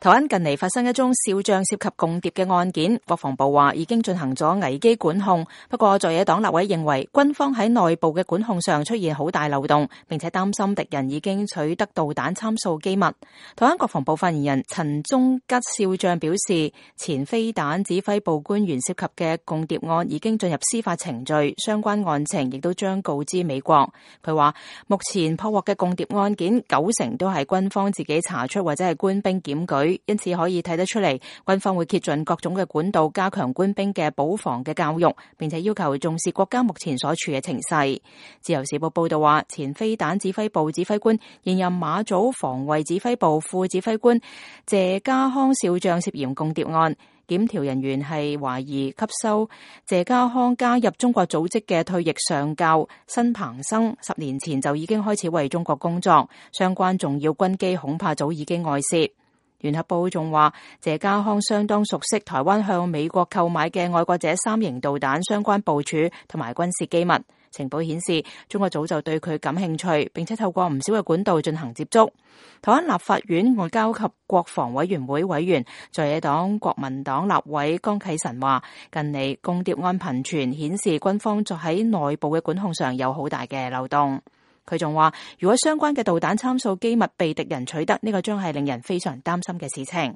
台灣近嚟發生一宗少將涉及共諜嘅案件，國防部話已經進行咗危機管控。不過在野黨立委認為軍方喺內部嘅管控上出現好大漏洞，並且擔心敵人已經取得導彈參數機密。台灣國防部發言人陳忠吉少將表示，前飛彈指揮部官員涉及嘅共諜案已經進入司法程序，相關案情亦都將告知美國。佢話目前破獲嘅共諜案件90%都係軍方自己查出或者係官兵檢舉。因此可以睇得出嚟，軍方會竭盡各種嘅管道，加強官兵嘅保防嘅教育，並且要求重視國家目前所處嘅情勢。自由時報報道話，前飛彈指揮部指揮官、現任馬祖防衛指揮部副指揮官謝家康少將涉嫌共諜案，檢調人員係懷疑吸收謝家康加入中國組織嘅退役上校辛鵬生10年前就已經開始為中國工作，相關重要軍機恐怕早已經外泄。聯合報仲話，謝家康相當熟悉台灣向美國購買嘅愛國者3型導彈相關部署同埋軍事機密。情報顯示，中國早就對佢感興趣，並且透過唔少嘅管道進行接觸。台灣立法院外交及國防委員會委員在野黨國民黨立委江啟臣話，近嚟共諜案頻傳，顯示軍方在喺內部嘅管控上有好大嘅漏洞。佢仲話，如果相關嘅導彈參數機密被敵人取得，呢個將係令人非常擔心嘅事情。